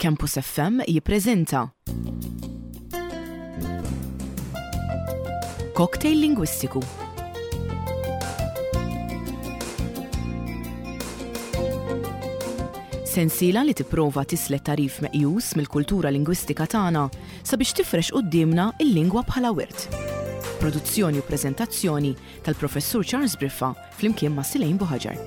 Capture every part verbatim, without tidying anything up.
Campus F M jippreżenta Cocktail Lingwistiku. Sensiela li tipprova tislet tagħrif meqjus mill-kultura lingwistika tagħna sabiex tifrex quddiemna il-lingwa bħala wirt. Produzzjoni u preżentazzjoni tal-Professur Charles Briffa flimkien ma' Silejn Buħaġar.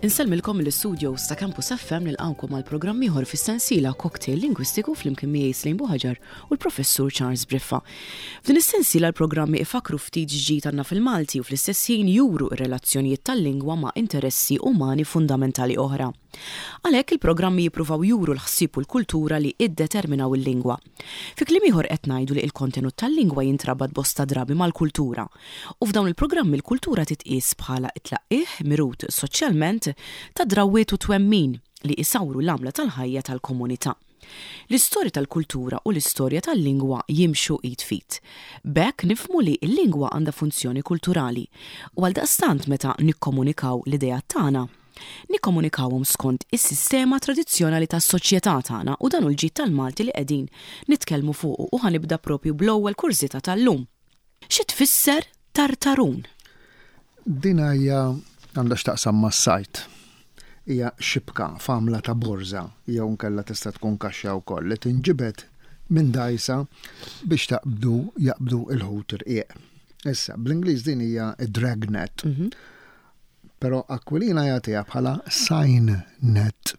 Insellmilkom mill-studios ta' Campus F M, nilqawkom għal programm ieħor fis-sensiela Cocktail Lingwistiku flimkien miegħi Slejn Buħaġar u l-Professur Charles Briffa. F'din is-sensiela l-programmi ifakru ftit ġdid għandna fil-Malti u fl-istess ħin juru r-relazzjonijiet tal-lingwa ma' interessi umani fundamentali oħra. Għalhekk il-programmi jippruvaw juru l-ħsieb u l-kultura li iddeterminaw il-lingwa. Fi kliem ieħor qed ngħidu li l-kontenut tal-lingwa jintrabat bosta drabi mal-kultura. U f'dawn il-programmi l-kultura titqies bħala it-tlaqqih mirut soċjalment ta' drawwiet u twemmin li isawru l-għamla tal-ħajja tal-komunità. L-istorja tal-kultura u l-istorja tal-lingwa jimxu id f'id. B'hekk nifhmu li l-lingwa għandha funzjoni kulturali u għaldaqstant meta nikkomunikaw l-idea tagħna, nikkomunikawhom skont is-sistema tradizzjonali tas-soċjetà tagħna, u dan hu l-ġid tal-Malti li qegħdin nitkellmu fuqu, u ħa nibda propju bl-ewwel kurżità tal-lum. Xi tfisser tartarun? Din hija għandha x'taqsam mas-sajd. Hija xibka f'għamla ta' borża jew nkella tista' tkun kaxxa wkoll li tinġibed minn dajsa biex taqbdu jaqbdu il-ħut irqiq. Issa, bl-Ingliż din hija dragnet. Mhm. Però Aquilina jagħtiha bħala seine net.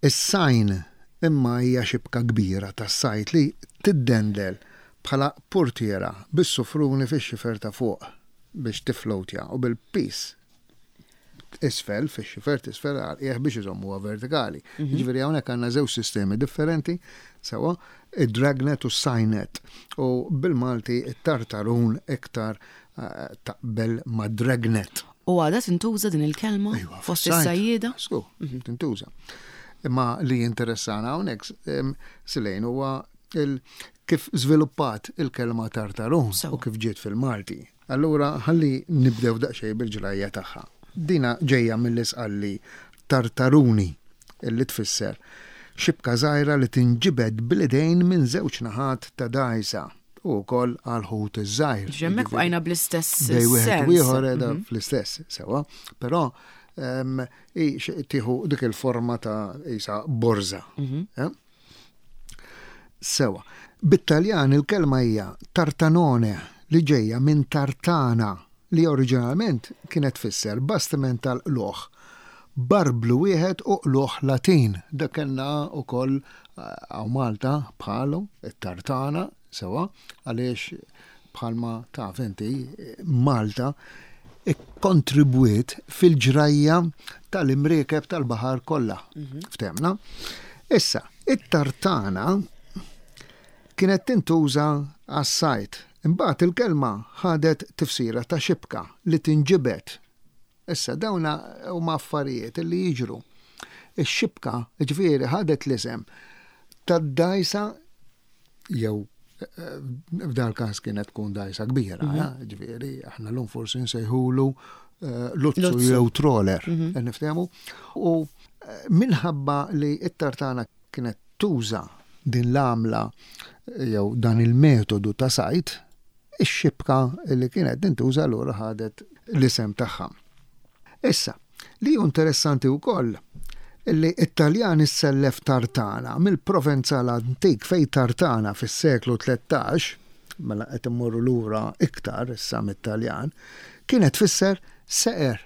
Is-seine imma hija xibka kbira tas-sajd li tiddendel bħala portiera bis-sufruni fix-xifer ta' fuq biex tiflowtja u bil-pis isfel, fix-xifer tisfel għal biex iżommuha vertikali. Mhm. Jiġifieri hawnhekk għandna żewġ sistemi differenti, sewwa, id-dragnet u s-seine net. U bil-Malti it-tartarun iktar eh, taqbel ma' dragnet. U għadha tintuża din il-kelma Ejwa, fost fis-sajd. is-sajjieda? Sku, tintuża. Imma li interessana hawnhekk em, Silejn, huwa il- kif żviluppat il-kelma tartarun Sewa. u kif ġiet fil-Malti. Allura ħalli nibdew daqsxejn bil-ġrajja tagħha. Dina ġejja mill-Isqalli tartaruni, illi tfisser xibka żgħira li tinġibed bl-idejn minn żewġ naħat ta' dajsa u wkoll għal ħut iż-żgħir. Ġemmek Jiġifieri- bqajna bl-istess bej wieħed sens. u ieħor qiegħda Mhm. fl-istess, sewa, però em, i x- tieħu dik il-forma ta' isa borża. Mhm. eh? Sewa. Bit-Taljan il-kelma hija tartanone, li ġejja minn tartana, li oriġinalment kienet tfisser bastiment tal-qluħ. Barblu wieħed u qluħ Latin. Dak kellna wkoll hawn Malta bħalu, it-tartana, sewa, għaliex bħalma taf inti Malta ikkontribwiet fil-ġrajja tal-imriekeb tal-baħar kollha. Ftehmna? Issa, it-tartana kienet tintuża għas-sajd. Imbagħad il-kelma ħadet tifsira ta' xibka li tinġibed. Issa dawna huma affarijiet li jiġru. Ix-xibka, ġifieri, ħadet l-isem tad-dajsa jew eh, f'dal każ kienet tkun dajsa kbira, eh, ġifieri aħna llum forsi nsejħulu eh, luzzu Luzzu. jew troller, eh, niftehmu. U eh, minħabba li it-tartana kienet tuża din l-għamla jew dan il-metodu ta' sajd, ix-xibka li kienet tintuża allura ħadet l-isem tagħha. Issa, li hu interessanti wkoll li it-Taljan issellef tartana mill-Provenzal antik, fej tartana fis-seklu tlettax, mela qed immorru lura iktar issa mit-Taljan, kienet tfisser seqer.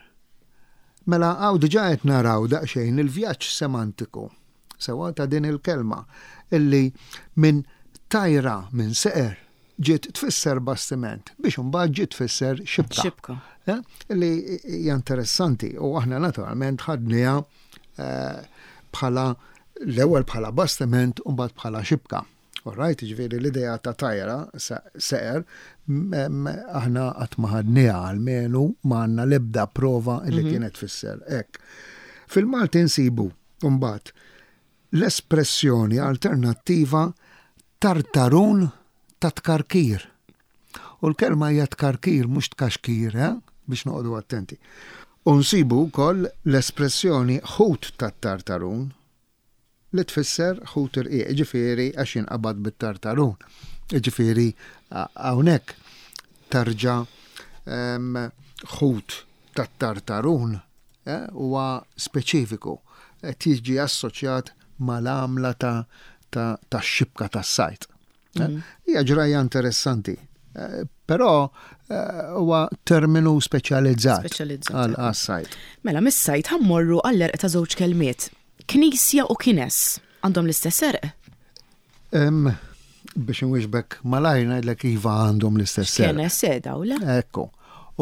Mela hawn diġà qed naraw daqsxejn il-vjaġġ semantiku sewa ta' din il-kelma, illi minn tajra, minn seqer, ġiet tfisser bastiment biex imbagħad ġiet tfisser xibka. Xibka. Eh, Li hija interessanti u aħna naturalment ħadniha eh, bħala l-ewwel bħala bastiment u mbagħad bħala xibka. Alright, ġifieri l-idea ta' tajra seqer m- m- aħna qatt ma ħadniha, almenu ma għandna l-ebda prova li kienet tfisser hekk. Fil-Malti nsibu mbagħad l-espressjoni alternattiva tartarun ta' tkarkir. U l-kelma hija tkarkir, mhux tkaxkir, eh? Biex noqogħdu attenti. U nsibu wkoll l-espressjoni ħut tat-tartarun li tfisser ħut irqiq, ġifieri għax jinqabad bit-tartarun. Ġifieri hawnhekk tarġa' ħut tat-tartarun huwa speċifiku, qed jiġi assoċjat mal-għamla ta' xibka tas-sajd. Hija ġrajja interessanti, però huwa terminu speċjalizzat għal-sajd. Mela, mis-sajd ħa mmorru għall-għerq ta' żewġ kelmiet. Knisja u kines għandhom l-istess għerq? Biex nwieġbek malajr ngħidlek iva, għandhom l-istess għerq. Kines seda u le? Ekku.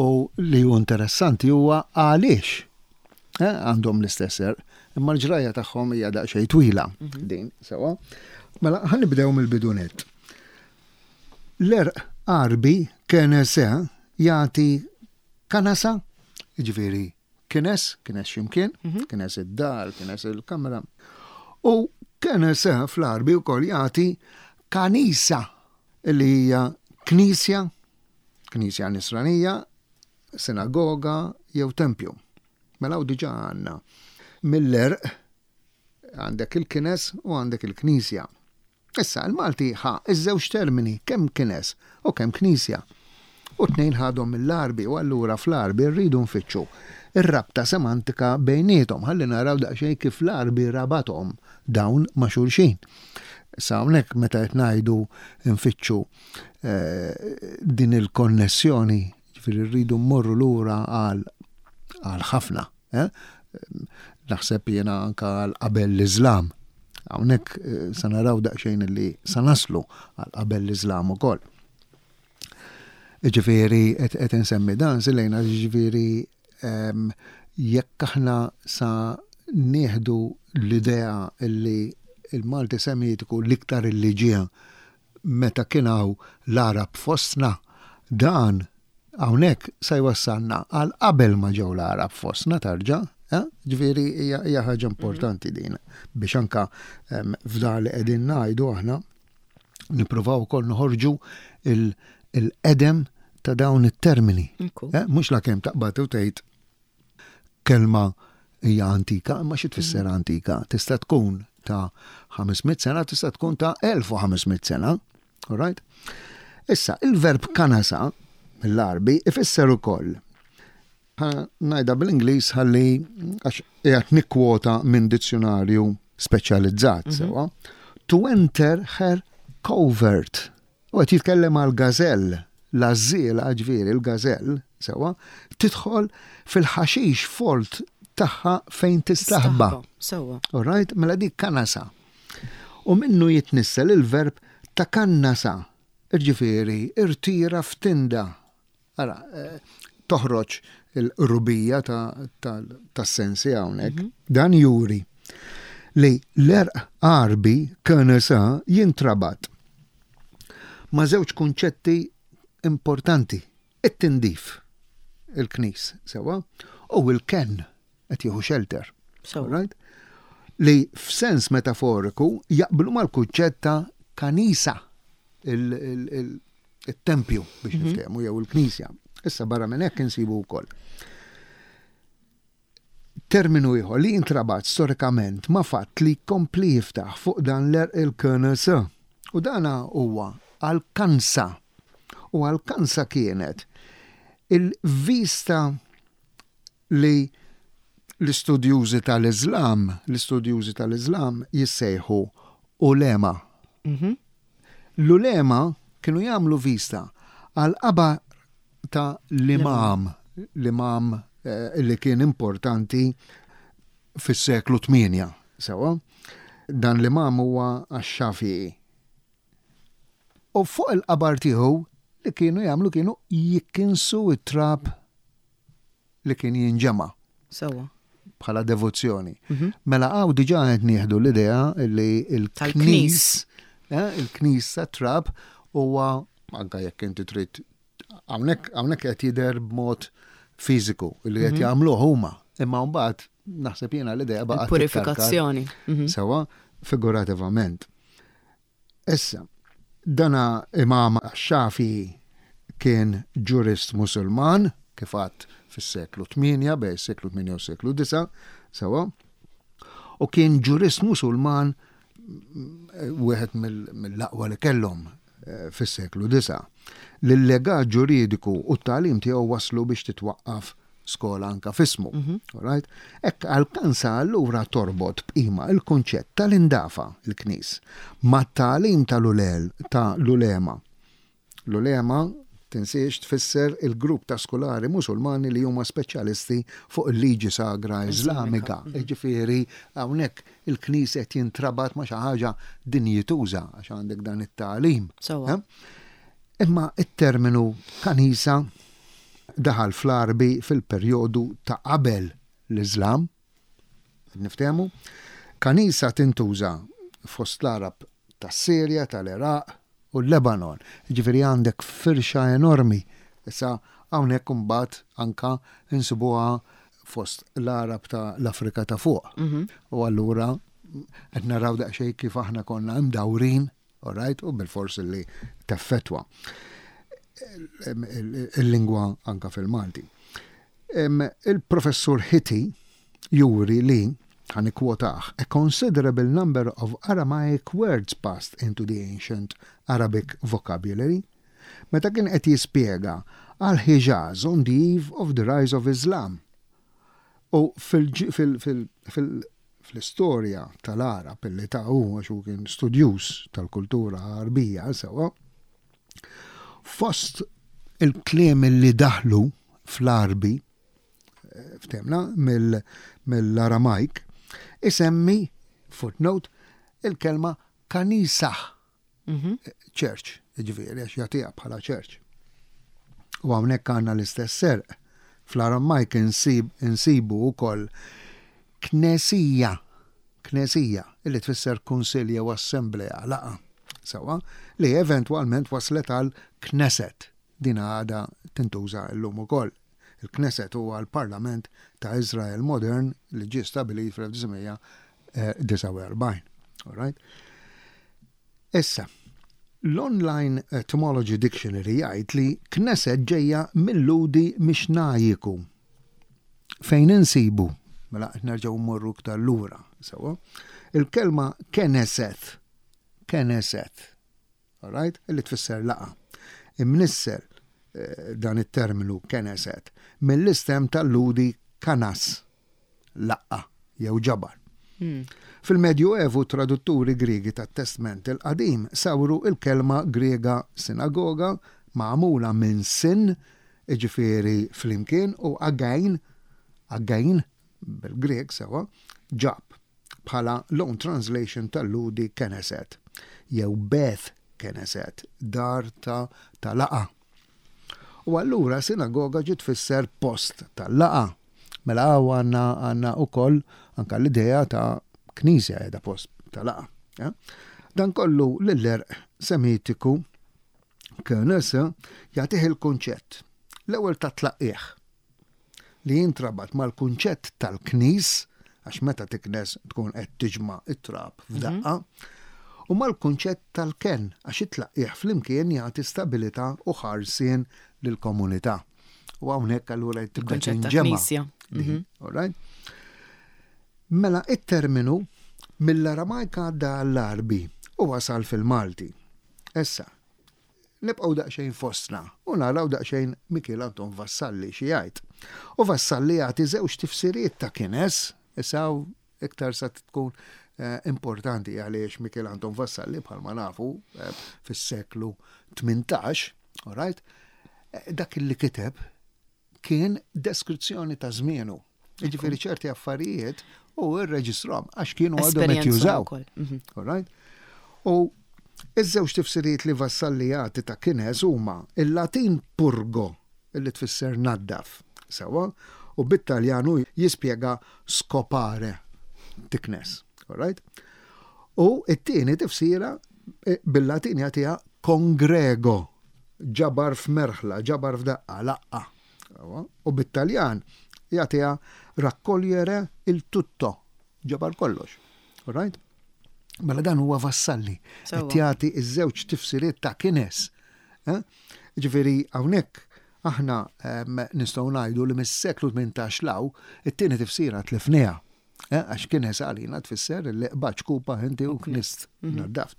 U li hu interessanti huwa għaliex għandhom l-istess għerq. Imma l-ġrajja tagħhom hija daqsxejn twila din, sewwa. Mela ħa nibdew mill-bidu nett. L-għerq Għarbi kenese jagħti kanasa, jiġifieri kines, kines x'imkien, kines id-dar, kines il-kamra. U kenese fl-Għarbi wkoll jagħti kanisa, li hija knisja, knisja nisranija, sinagoga jew tempju. Mela u diġà għandna mill-għerq għandek il-kines u għandek il-knisja. Issa, il-Malti ħa iż-żewġ termini, kemm kines u kemm knisja. U tnejn ħadhom mill-Għarbi, u allura fl-Għarbi rridu nfittxu ir-rabta semantika bejniethom, ħalli naraw daqsxejn kif l-Għarbi rabathom dawn ma' xulxin. Issa hawnhekk meta qed ngħidu nfittxu din il-konnessjoni, ġifieri rridu mmorru lura għal ħafna. Naħseb jiena anka għal qabel l-Iżlam. Hawnhekk sa naraw daqsxejn li sa naslu għal qabel l-Iżlam ukoll. Ġifieri qed insemmi dan silejna, ġifieri jekk aħna sa nieħdu l-idea li il-Malti Semitiku l-iktar illi ġie meta kien hawn l-Għarab fostna, dan hawnhekk sa jwassalna għal qabel ma ġew l-Għarab fostna tarġa'. Ġifieri hija ħaġa importanti din biex anka f'dan li qegħdin ngħidu aħna nippruvaw ukoll noħorġu il-qedem ta' dawn it-termini. Mhux la kemm taqbad u tgħid kelma hija antika, imma xi tfisser antika? Tista' tkun ta' ħames mitt sena, tista' tkun ta' elf u ħames mitt sena. All right? Issa, il-verb kanasa mill-Għarbi ifisser ukoll. Ħa ngħidha bl-Ingliż ħalli għax qiegħed nikkwota minn dizzjonarju speċjalizzat, Mhm. sewwa. To enter her covert. U qed jitkellem għal gażell, l-għażiela ġifieri l-gażell, sewwa, tidħol fil-ħaxix folt tagħha fejn tistaħba. Tistaħba, sewwa. All right, mela dik kanasa. U minnu jitnissel il-verb ta' kannasa, ġifieri irtira f'tinda. Ara, eh, toħroġ il-rubija ta', ta', tas-sensi hawnhekk. Mhm. Dan juri li l-għerq Għarbi kanasa jintrabat ma' żewġ kunċetti importanti. It-tindif, il-knis, sewwa, u il-ken, qed jieħu shelter. Sewwa. Right? Li f'sens metaforiku jaqblu mal-kunċett ta' kanisa, il-, il-, il-, il-tempju biex Mhm. niftehmu jew il-knisja. Issa barra minn hekk insibu wkoll. Terminu ieħor li intrabat storikament ma' fatt li kompli jiftaħ fuq dan l-għerq il-K N S. U dana huwa għal-kansa. U għal-kansa kienet il-vista li l-istudjużi tal-Islam, l-istudjużi tal-Islam jissejħu ulema. Mhm. L-ulema kienu jagħmlu vista għal-qabar ta' l-imam, l-imam, eh, li kien importanti fis-seklu tmienja, sewwa. Dan l-imam huwa għax-Xafi'i. U fuq il-qabar tiegħu li kienu jagħmlu kienu jikkinsu it-trab li kien jinġema' Sewwa. bħala devozzjoni. Mhm. Mela hawn diġà qed nieħdu l-idea li il-knis, Tal-knis. eh, il-knis ta' trab huwa anke jekk inti trid hawnhekk, hawnhekk qed jidher b'mod fiżiku li qed Mhm. jagħmluh huma. Imma mbagħad naħseb jiena l-idea baqgħet Il-purifikazzjoni. titkarkar. Mhm. Sewwa, figurativament. Issa, dana Imam Xafi kien ġurist Musulman, kif għadt fis-seklu tmienja, bejn is-seklu tmienja u s-seklu disa', sewwa, u kien ġurist Musulman wieħed mill-aqwa li kellhom eh, fis-seklu disa'. L-legat ġuridiku u t-tagħlim tiegħu waslu biex titwaqqaf skola anka f'ismu. Mhm. Right? Hekk għal-kansa allura torbot b'qima il-kunċett tal-indafa, il-knis, mat-tagħlim tal-ulel ta' l-ulema. L-ulema, tinsiex, tfisser il-grupp ta' skolari Musulmani li huma speċjalisti fuq il-liġi sagra Iżlamika. Mhm. Ġifieri hawnhekk il-knisja qed jintrabat ma' xi ħaġa dinjituża għax għandek dan it-tagħlim. Eh? Imma it-terminu kanisa daħal fl-Arbi fil-perjodu ta' qabel l-Iżlam. Niftehmu? Kanisa tintuża fost l-Arab tas-Sirja, tal-Iraq u l-Lebanon. Ġifieri għandek firxa enormi. Issa hawnhekk imbagħad anka insibuha fost l-Arab ta' l-Afrika ta' fuq. Mhm. U allura qed naraw daqsxejn kif aħna konna imdawrin, all right, u bil-fors li teffettwa il-lingwa anka fil-Malti. Il-professur Hitti juri li, ħa nikkwotah, "a considerable number of Aramaic words passed into the ancient Arabic vocabulary," meta kien qed jispjega għal Hijaz on the eve of the rise of Islam. U fil-istorja tal-Arab illi ta' u għax kien studjuż tal-kultura Arbija, sewwa, fost il-kliem li daħlu fl-Arbi, eh, ftemna, mill-Aramajk, isemmi, footnote, il-kelma kanisa, mhm. church, ġifieri, għax jagħtiha bħala church. U hawnhekk għandna l-istess serq. Fl-Aramajk insibu wkoll knesija, knesija, illi tfisser kunsilja u assemblea, laqgħa. Sewwa, li eventwalment waslet għal Knesset. Din għadha tintuża llum ukoll. Il-Knesset huwa l-Parlament ta' Izrael modern li ġie stabilit fl-elf disa' mija disgħa u erbgħin. All right? Issa, l-Online Etymology Dictionary jgħid li Knesset ġejja mill-Lhudi Mixnajiku. Fejn insibu, mela nerġgħu mmorru iktar lura, sewwa, il-kelma Keneset, Keneset, all right, illi tfisser laqgħa. Imnissel eh, dan it-terminu Keneset mill-istem tal-Lhudi kanas, laqgħa jew ġabar. Hmm. Fil-Medju Evu, tradutturi Griegi tat-Testment il-Qadim sawru il-kelma Griega sinagoga magħmula minn sin, iġifieri flimkien, u again, again bil-Grek, sewwa, ġab, bħala loan translation tal-Lhudi Keneset jew Beth Keneset, dar ta' ta' laqgħa. U allura sinagoga ġiet tfisser post tal-laqgħa. Mela għandna għandna ukoll anka l-idea ta' knisja qiegħda post ta' laqgħa. Ja? Dan kollu l-għerq Semitiku kenes jagħtih il-kunċett. L-ewwel ta' tlaqqieħ li jintrabat mal-kunċett tal-knis, għax meta tiknes tkun qed tiġma' it-trab f'daqqa, u mal-kunċett tal-ken, għax it-tlaqqieħ flimkien jagħti stabilità u ħarsien lill-komunità. U hawnhekk allura tibda Il-kunċett ta' tinġema'. knisja. Mhm. All right? Mela it-terminu mill-Aramajka għadda għall-Arbi u wasal fil-Malti. Issa, nibqgħu daqsxejn fostna u naraw daqsxejn Mikiel Anton Vassalli xi jgħid. U Vassalli jagħti żewġ tifsiriet ta' kines, issa iktar sa tkun eh, importanti għaliex Mikiel Anton Vassalli, bħalma nafu, eh, fis-seklu tmintax, all right? Eh, dak li kiteb kien deskrizzjoni ta' żmienu. Jiġifieri ċerti affarijiet u rreġistrahom għax kienu għadhom qed Esperjenza jużaw. wkoll. Mhm. All right? U iż-żewġ tifsiriet li Vassalli jagħti ta' kines huma il-Latin purgo, illi tfisser naddaf, sewwa, u bit-Taljanu jispjega scopare, tiknes. All right? U it-tieni tifsira eh, bil-Latin jagħtiha congrego, ġabar f'merħla, ġabar f'daqqa, laqgħa. Sewwa? U bit-Taljan jagħtiha raccogliere il tutto, ġabar kollox. All right? Mela dan huwa Vassalli. Sewwa. Qed jagħti iż-żewġ tifsiriet ta' kines. Eh? Ġifieri hawnhekk Aħna nistgħu ngħidu li mis-seklu tmintax 'l hawn it-tieni tifsira tlifniha. Eh, għax kien għalina tfisser li qbadt xkupa inti u knist mhm. naddaft.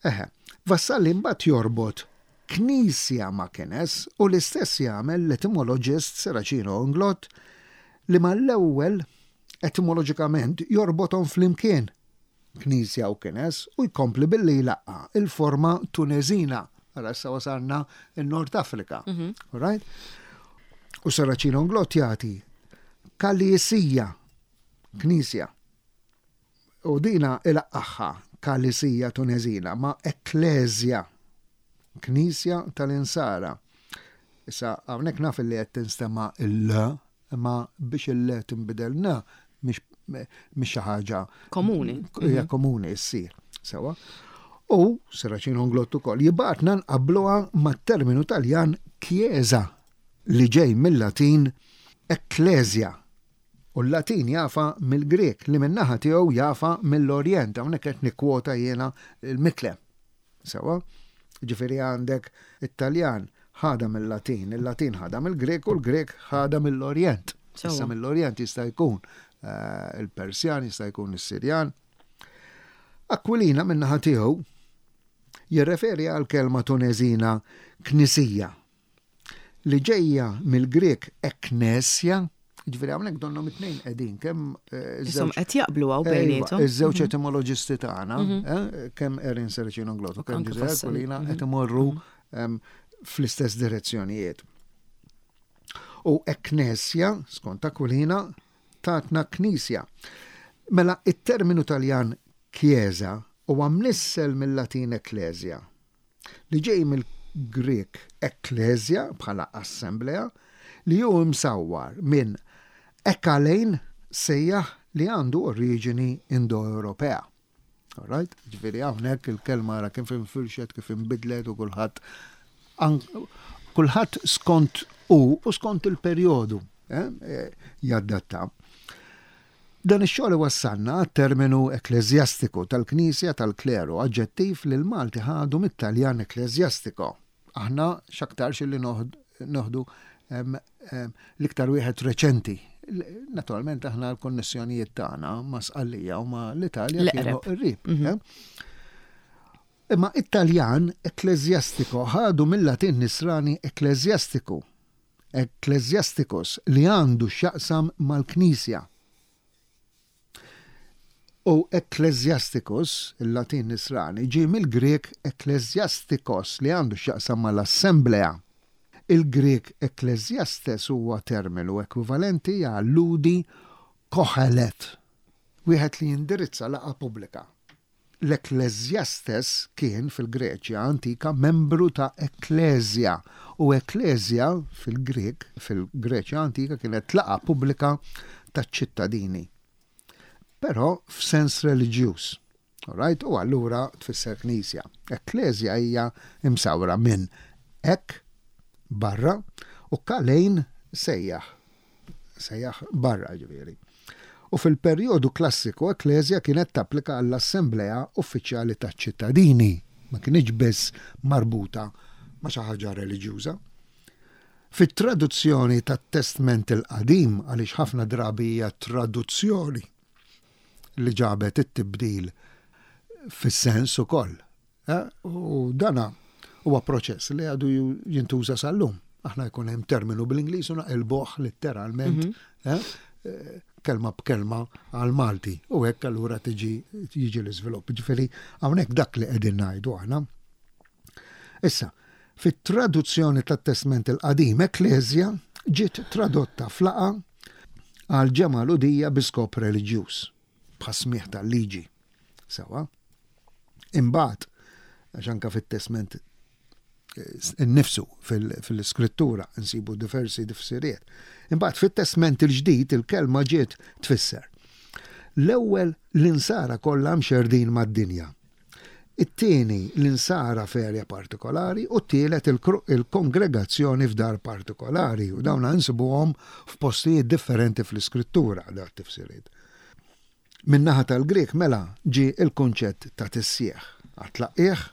Eħe, Vassalli mbagħad jorbot knisja ma' kines u l-istess jagħmel l-etimologist Serracino Inglott li mal-ewwel etimoloġikament jorbothom flimkien knisja u kines u jkompli billi jlaqqa il-forma Tuneżina. Ara issa wasalna in-Nord Afrika. Mhm. Right? U Serracino Inglott jagħti Kalisija, knisja. U dina ilaqqaħħa Kalisija Tuneżina ma' Ekkleżja, knisja tal-Insara. Issa, hawnhekk naf li qed tinstema' il-l, imma biex il-l tinbidel n, mhix xi ħaġa komuni. Hija mhm. komuni ssir. Sewa. U Serracino Inglott ukoll jibgħatna nqabbluha mat-terminu Taljan chiesa li ġej mill-Latin ecclesia. U l-Latin jafa mill-Grek li min-naħa tiegħu jafa mill-Orjent, hawnhekk qed nikkwota jiena l-Mitlem. Sewa? Ġifieri għandek it-Taljan ħada mill-Latin, il-Latin ħada mill-Grek u l-Grek ħada mill-Orjent. Issa mill-Orjent jista' jkun eh, il-Persjan, jista' jkun is-Sirjan. Aquilina min-naħa tiegħu jirreferi għal kelma Tuneżina knisija li ġejja mill-Grek eknesja, ġifieri hawnhekk donnhom it-tnejn qegħdin kemm eh, iż-żewġ qed jaqblu hawn bejniethom. Iż-żewġ mhm. etimoloġisti tagħna, mhm. eh, kemm Erin Serracino Inglott u kemm Giuseppe Aquilina qed mhm. imorru fl-istess direzzjonijiet. U eknesja, skont Aquilina, tatna knisja. Mela it-terminu Taljan chiesa huwa mnissel mill-Latin ecclesia, li ġej mill-Grek ekklesia bħala assemblea, li hu msawwar minn ekalein sejjaħ li għandu oriġini Indo-Ewropea. Alright? Ġifieri hawnhekk il-kelma ara kif infirxet, kif inbidlet u kulħadd kulħadd skont u u skont il-perjodu eh, eh, jaddatta. Dan ix-xogħol wassalna terminu ekkleżjastiku tal-Knisja tal-Kleru, aġġettiv li l-Malti ħadu mit-Taljan ecclesiastico. Aħna x'aktarx li noħdu l-iktar wieħed reċenti. Naturalment aħna l-konnessjonijiet tagħna ma' Sqallija u ma' l-Italja kienu qrib. Mhm. Eh? Imma Italjan ecclesiastico ħadu mill-Latin nisrani ecclesiastiku, ecclesiasticus li għandu x'jaqsam mal-Knisja. U ecclesiasticus, il-Latin nisrani, ġie mill-Grek ecclesiastikos li għandu x'jaqsam mal-assemblea. Il-Grek ecclesiastes huwa terminu ekwivalenti għal Lhudi kohelet, wieħed li jindirizza laqgħa pubblika. L-Ecclesiastes kien fil-Greċja antika membru ta' Ekklesia u Ekklesia fil-Grek, fil-Greċja antika kienet laqgħa pubblika ta' ċittadini. Però f'sens reliġjuż. Alright? U allura tfisser knisja. Ekklesia hija imsawra minn ek barra u kalejn sejjaħ. Sejjaħ barra ġifieri. U fil-perjodu klassiku ekklesia kienet tapplika għall-assemblea uffiċjali taċ-ċittadini, ma kienx biss marbuta ma' xi ħaġa reliġjuża. Fit-traduzzjoni tat-Testment il-Qadim, għaliex ħafna drabi hija traduzzjoni li ġabet it-tibdil fis-sens ukoll. Eh? U dana huwa proċess li għadu jintuża sal-lum. Aħna jkun hemm terminu bl-Ingliż u naqilbuh letteralment mhm. eh? Eh, kelma b'kelma għal Malti u hekk allura tiġi jiġi l-iżvilupp. Ġifieri hawnhekk dak li qegħdin ngħidu aħna. Issa, fit-traduzzjoni tat-Testment il-Qadim Ekklesia ġiet tradotta f'laqgħa għal ġemgħa Lhudija bi skop reliġjuż, bħas-smigħ tal-liġi. Sewa. Imbagħad, għax anka fit-Testment innifsu fil-iskrittura nsibu diversi tifsiriet. Imbagħad fit-Testment il-ġdid il-kelma ġiet tfisser. L-ewwel l-insara kollha mxerdin mad-dinja. It-tieni l-insara f'erja partikolari u t-tielet il-kongregazzjoni f'dar partikolari u dawn nsibuhom f'postijiet differenti fl-iskrittura da tifsiriet. Min-naħa tal-Grek mela ġie il-kunċett ta' tissieħ. Għat-tlaqqieħ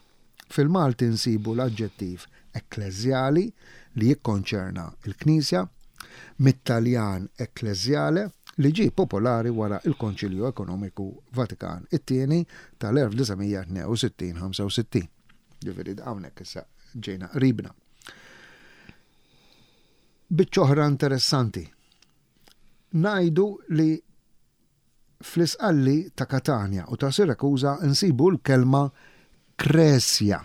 fil-Malti nsibu l-aġġettiv Ekkleżjali, li jikkonċerna il-Knisja, mit-Taljan ekkleżjale, li ġie popolari wara il-Konċilju Ekonomiku Vatikan it-tieni tal-elf disa' mija tnejn u sittin ħamsa u sittin. Ġifieri hawnhekk issa ġejna qribna. Biċċa oħra interessanti. Ngħidu li fl-Isqalli ta' Katania u ta' Sirakuza nsibu l-kelma kresja.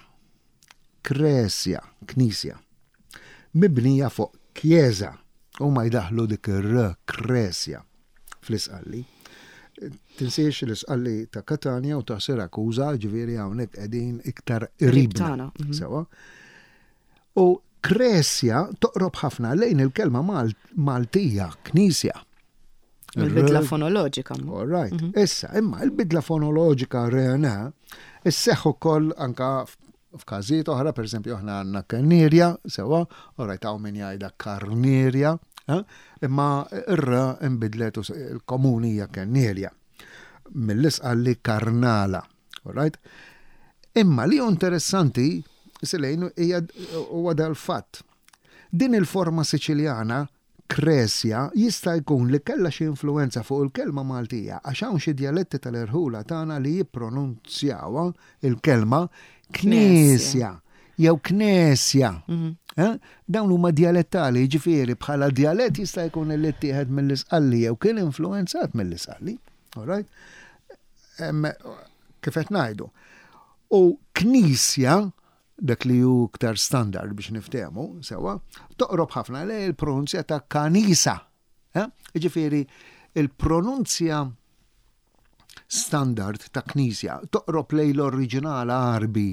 Kresja, knisja. Mibnija fuq kjeza u ma jdaħlu dik ir-r, kresja, fl-Isqalli. Tinsiex l-Isqalli ta' Katania u ta' Sirakuza, ġifieri hawnhekk qegħdin iktar qribna. Mhm. Sewa. U kresja toqrob ħafna lejn il-kelma Maltija, knisja. Il-bidla fonoloġika. All right. Mhm. Issa, imma il-bidla fonoloġika rena, isseħħ ukoll anka f'każijiet oħra, per esempio, aħna għandna kannirja, sewa, all right, hawn min jgħidha karnirja, eh? Imma ir-r imbidlet u il-komuni hija kannirja. Mill-Isqalli karnala, all right? Imma li interessanti, Silejn, hija huwa dal-fatt. Din il-forma Siċiljana kresja jista' jkun li kellha xi influenza fuq il-kelma Maltija, għax hawn xi djaletti tal-irħula tagħna li jippronunzjawha il-kelma knisja jew knesja. Mhm. Eh? Dawn huma djalettali, ġifieri bħala djalett jista' jkun li ttieħed mill-Isqalli jew kien influenzat mill-Isqalli. All right? Kif qed ngħidu. U knisja, dak li hu iktar standard biex niftehmu, sewa, toqrob ħafna li il-pronunzja ta' kanisa. Eh? Ġifieri, il-pronunzja standard ta' knisja toqrob lej l-oriġinal Arbi,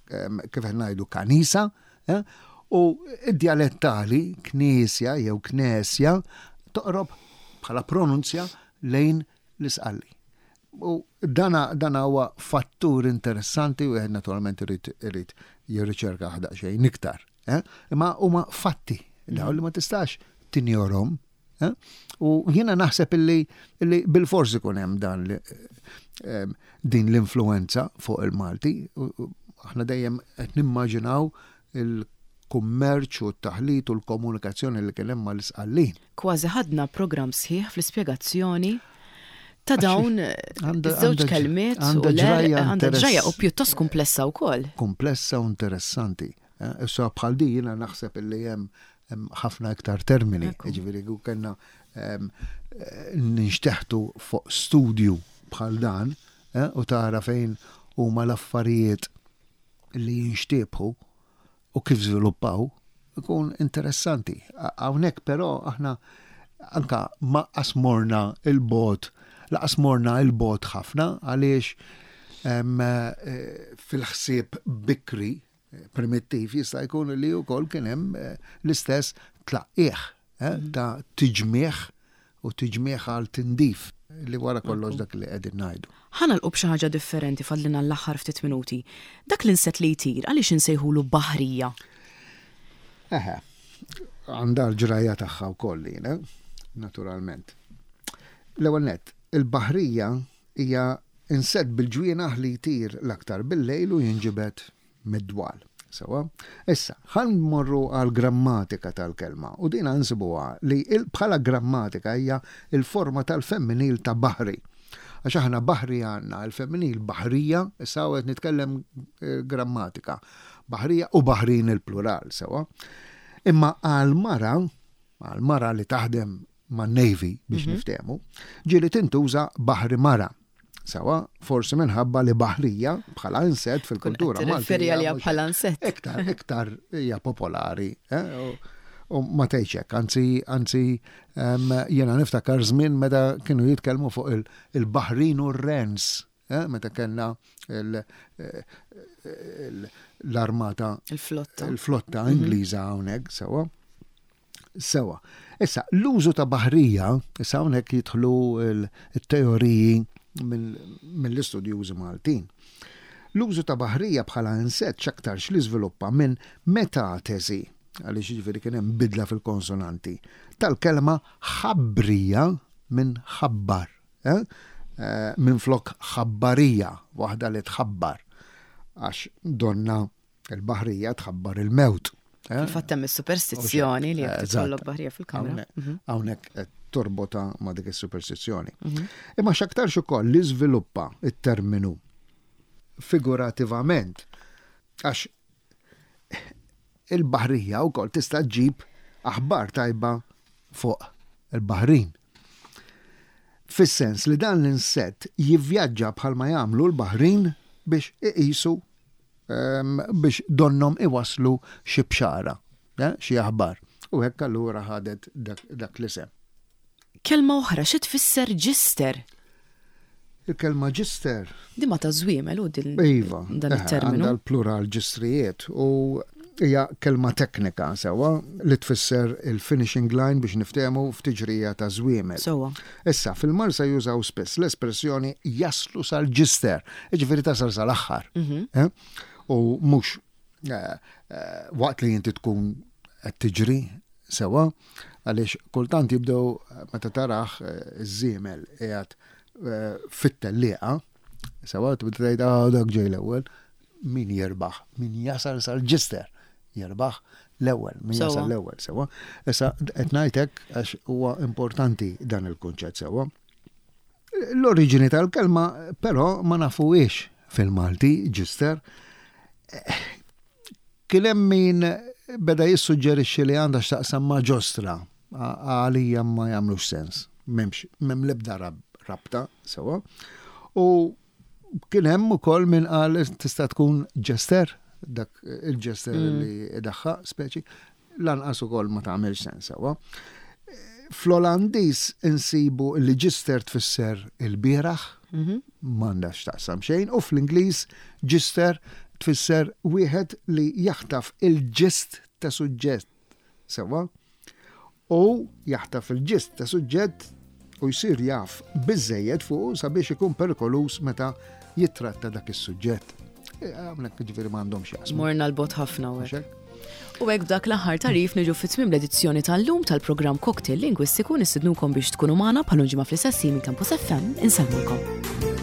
kif qed ngħidu kanisa, eh? U id-dialettali knisja jew knesja toqrob bħala pronunzja lejn l-Isqalli. U dana, dana huwa fattur interessanti u wieħed naturalment irid irid jirriċerka xejn iktar. Eh? Imma huma fatti dawn li ma tistax tinjorhom. Eh? U jiena naħseb illi, illi bil-forsi ikun hemm dan li, eh, din l-influenza fuq il-Malti. Aħna dejjem qed nimmaġinaw il-kummerċ u t-taħlit u l-komunikazzjoni li kien hemm mal-Isqallin. Kważi ħadna program sħiħ fl-ispjegazzjoni ta' dawn iż-żewġ kelmiet u għandha ġrajja u pjuttost komplessa wkoll. Komplessa u interessanti. Eh, issa bħal di jiena naħseb illi hemm ħafna iktar termini. Ġifieri kellna ninxteħtu fuq studju bħal dan eh, u tara fejn huma l-affarijiet li jinxtiebħu u kif żviluppaw, ikun interessanti. Hawnhekk però aħna anka ma qasmorna il-bot, laqas morna il-bot ħafna, għaliex eh, fil-ħsieb bikri eh, primittiv jista' jkun li wkoll kien hemm eh, l-istess tlaqqieħ mhm. ta' tiġmieħ u tiġmieħ għal tindif, li wara kollox dak li qegħdin ngħidu. Ħa nagħlqu b'xi ħaġa differenti, fadlina l-aħħar ftit minuti. Dak l-insett li jtir, għaliex insejħulu baħrija? Eħe, għandha l-ġrajja tagħha wkoll, naturalment. L-ewwel net, il-baħrija hija insett bil-ġwienaħ li jtir l-aktar bil-lejl u jinġibed mid-dwal. Sewa? Issa, ħa mmorru għal grammatika tal-kelma u dina nsibuha li bħala grammatika hija il-forma tal-femminil ta' baħri. Għax aħna baħri għandna il-femminil baħrija, issa qed nitkellem eh, grammatika. Baħrija u baħrin il-plural, sewa. Imma għal-mara, għal-mara li taħdem ma' Navy biex mm -hmm. niftehmu, ġieli tintuża baħri mara. Sewa, forsi minħabba li baħrija bħala insett fil-kultura Maltija. Bħala insett. Iktar, iktar hija popolari. Eh? U ma tgħidx anzi, anzi, jiena niftakar żmien meta kienu jitkellmu fuq il-baħrin u r-rens, eh? Meta kellna l-armata. Il-flotta. Il-flotta mhm. Ingliża hawnhekk, sewa. Sewa. Issa, l-użu ta' baħrija, issa hawnhekk jidħlu il-teoriji mill-istudjużi Maltin. L-użu ta' baħrija bħala insett x'aktarx li żviluppa minn metatesi, għaliex ġifieri kien hemm bidla fil-konsonanti, tal-kelma ħabrija minn ħabbar, eh? Eh, minn flok ħabbarija, waħda li tħabbar, għax donna Il-baħrija tħabbar il-mewt. Eh? Fil-fatt hemm is-superstizzjoni li jekk Eżatt. tkollok baħrija fil-kamra. Hawnhekk hawnhekk qed torbota ma' dik is-superstizzjoni. Imma x'aktarx ukoll li żviluppa it-terminu figurativament, għax il-baħrija wkoll tista' ġġib aħbar tajba fuq il-baħrin. Fis-sens li dan l-insett jivvjaġġa bħalma jagħmlu l-baħrin biex iqisu em, biex donnom iwaslu xi bxara, eh, xi aħbar. U hekk allura ħadet dak, dak l-isem. Kelma oħra, xi tfisser ġister? Il-kelma ġister. Di ma ta' żwiemel u din Iva, dan eh, it-terminu. Għandha l-plural ġistrijiet u hija kelma teknika sewwa li tfisser il-finishing line, biex niftehmu, f'tiġrija ta' żwiemel. Sewwa. Issa, fil-Marsa jużaw spiss l-espressjoni "jaslu sal-ġister", jiġifieri tasal sal-aħħar. Eh? U mhux eh, eh, waqt li inti tkun qed tiġri sewwa, għaliex kultant jibdew eh, meta tarah eh, iż-żiemel qiegħed eh, fit-tellieqa, sewwa, tibda tgħid, "Ah, dak ġej l-ewwel." Min jirbaħ? Min jasal sal-ġister jirbaħ l-ewwel, min Sewwa. jasal l-ewwel, sewwa. Issa qed ngħidlek għax huwa importanti dan il-kunċett, sewwa. L-oriġini tal-kelma però ma nafuhiex fil-Malti, ġister. Kien hemm min beda jissuġġerixxi li għandha x'taqsam ma' ġostra. A- Għalija ma jagħmlux sens. M'hemmx, m'hemm l-ebda rab- rabta sewwa. U kien hemm ukoll min qal tista' tkun jester, dak il-jester li daħħa speċi, lanqas ukoll ma tagħmilx sens, sewwa. Fl-Olandiż insibu li gister tfisser il-bieraħ, m'għandax taqsam xejn, u fl-Ingliż gister tfisser wieħed li jaħtaf il-gist ta' suġġett. Sewwa? U jaħtaf il-gist ta' suġġett u jsir jaf biżejjed fuq sabiex ikun perikoluż meta jitratta dak is-suġġett. E, Hawnhekk ġifieri m'għandhom x'jaqsmu. Morna 'l bogħod ħafna u hekk. Mhux hekk? U hekk b'dak l-aħħar tagħrif niġu fi tmiem l-edizzjoni tal-lum tal-programm Cocktail Lingwistiku. Nistednukom biex tkunu magħna bħal ġimgħa fl-istess minn Campus F M. Insellmulkom.